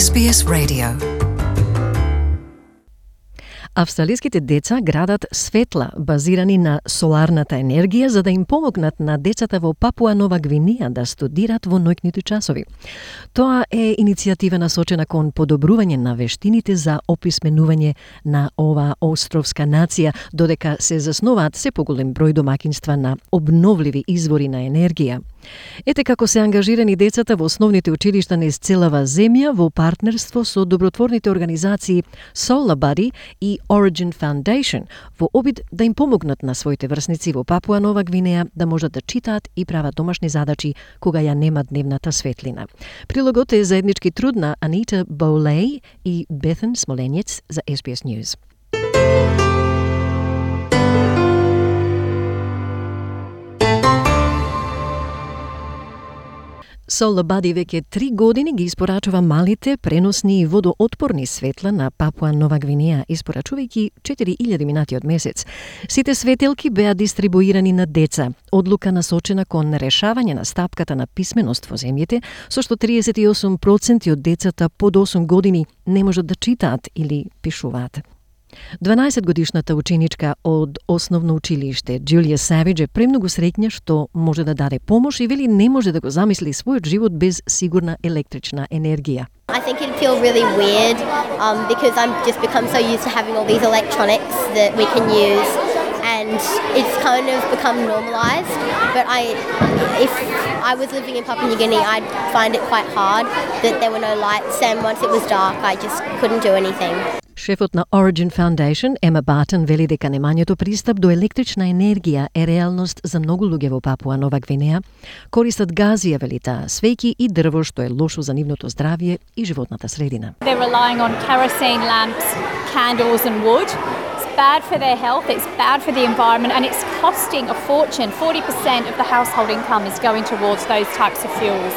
SBS Radio. Австралиските деца градат светла базирани на соларната енергија за да им помогнат на децата во Папуа Нова Гвинеја да студират во ноќните часови. Тоа е иницијатива насочена кон подобрување на вештините за описменување на оваа островска нација, додека се засноваат се поголем број домаќинства на обновливи извори на енергија. Ете како се ангажирани децата во основните училишта низ целава земја во партнерство со добротворните организации Solar Buddy и Origin Foundation во обид да им помогнат на своите врсници во Папуа Нова Гвинеја да можат да читаат и прават домашни задачи кога ја нема дневната светлина. Прилогот е заеднички труд на Анита Боулей и Бетен Смоленец за SBS News. Solar Buddy веќе 3 години ги испорачува малите, преносни и водоотпорни светла на Папуа Нова Гвинеја, испорачувајќи 4000 минати од месец. Сите светелки беа дистрибуирани на деца. Одлука насочена кон решавање на стапката на писменост во земјите, со што 38% од децата под 8 години не можат да читаат или пишуваат. 12-годишната ученичка од основно училиште Джулија Савидж е премногу среќна што може да даде помош и вели не може да го замисли својот живот без сигурна електрична енергија. I think it'd feel really weird because I'm just become so used to having all these electronics that we can use, and it's kind of become normalised. But if I was living in Papua New Guinea, I'd find it quite hard that there were no lights, and once it was dark, I just couldn't do anything. Шефот на Origin Foundation, Ема Батен, вели дека немањето пристап до електрична енергија е реалност за многу луѓе во Папуа Нова Гвинеја. Користат газија, вели таа, свеќи и дрво, што е лошо за нивното здравје и животната средина. They're relying on kerosene lamps, candles and wood. It's bad for their health, it's bad for the environment, and it's costing a fortune. 40% of the household income is going towards those types of fuels.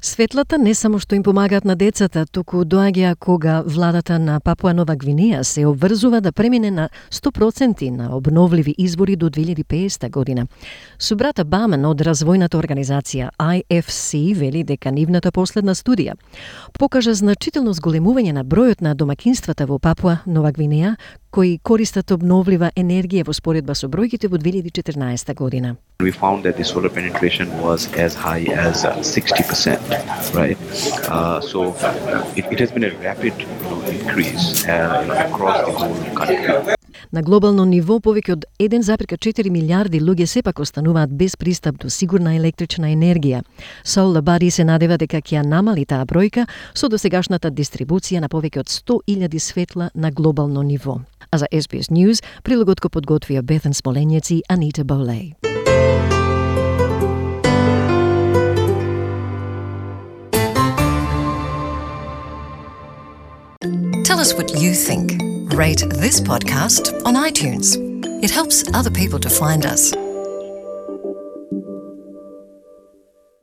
Светлата не само што им помагаат на децата, туку доаѓа кога владата на Папуа Нова Гвинеја се обврзува да премине на 100% на обновливи извори до 2050 година. Субрата Бамен од развојната организација IFC вели дека нивната последна студија покажа значително зголемување на бројот на домаќинствата во Папуа Нова Гвинеја кои користат обновлива енергија во споредба со бројките во 2014 година. We found that the solar penetration was as high as 60%, right? So it has been a rapid increase across the whole country. На глобално ниво повеќе од 1,4 милиарди луѓе сепак остануваат без пристап до сигурна електрична енергија. Solar Buddy се надева дека ќе намали таа бројка со досегашната дистрибуција на повеќе од 100,000 светла на глобално ниво. А за SBS News, прилогот го подготвија Бетен Смоленец и Анита Боулей. Tell us what you think. Rate this podcast on iTunes. It helps other people to find us.